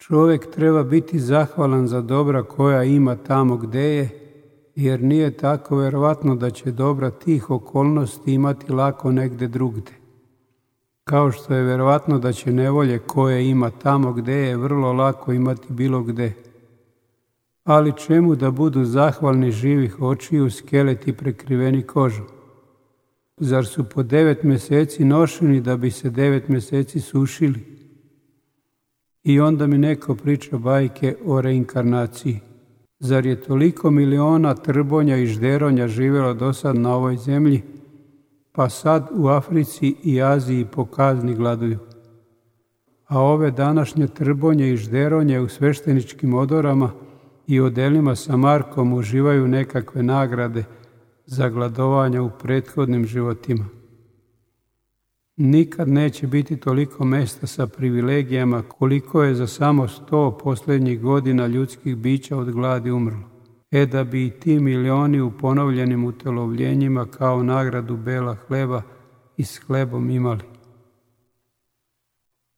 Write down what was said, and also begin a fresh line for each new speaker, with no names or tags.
Čovjek treba biti zahvalan za dobra koja ima tamo gdje je, jer nije tako vjerovatno da će dobra tih okolnosti imati lako negdje drugdje. Kao što je vjerovatno da će nevolje koje ima tamo gdje je vrlo lako imati bilo gdje. Ali čemu da budu zahvalni živih očiju skeleti prekriveni kožom? Zar su po 9 mjeseci nošeni da bi se 9 mjeseci sušili? I onda mi neko priča bajke o reinkarnaciji. Zar je toliko miliona trbonja i žderonja živjelo do sad na ovoj zemlji, pa sad u Africi i Aziji po kazni gladuju? A ove današnje trbonje i žderonje u svešteničkim odorama i odelima sa Markom uživaju nekakve nagrade za gladovanja u prethodnim životima. Nikad neće biti toliko mjesta sa privilegijama koliko je za samo 100 posljednjih godina ljudskih bića od gladi umrlo. Da bi i ti milioni u ponovljenim utelovljenjima kao nagradu bela hleba i s hlebom imali.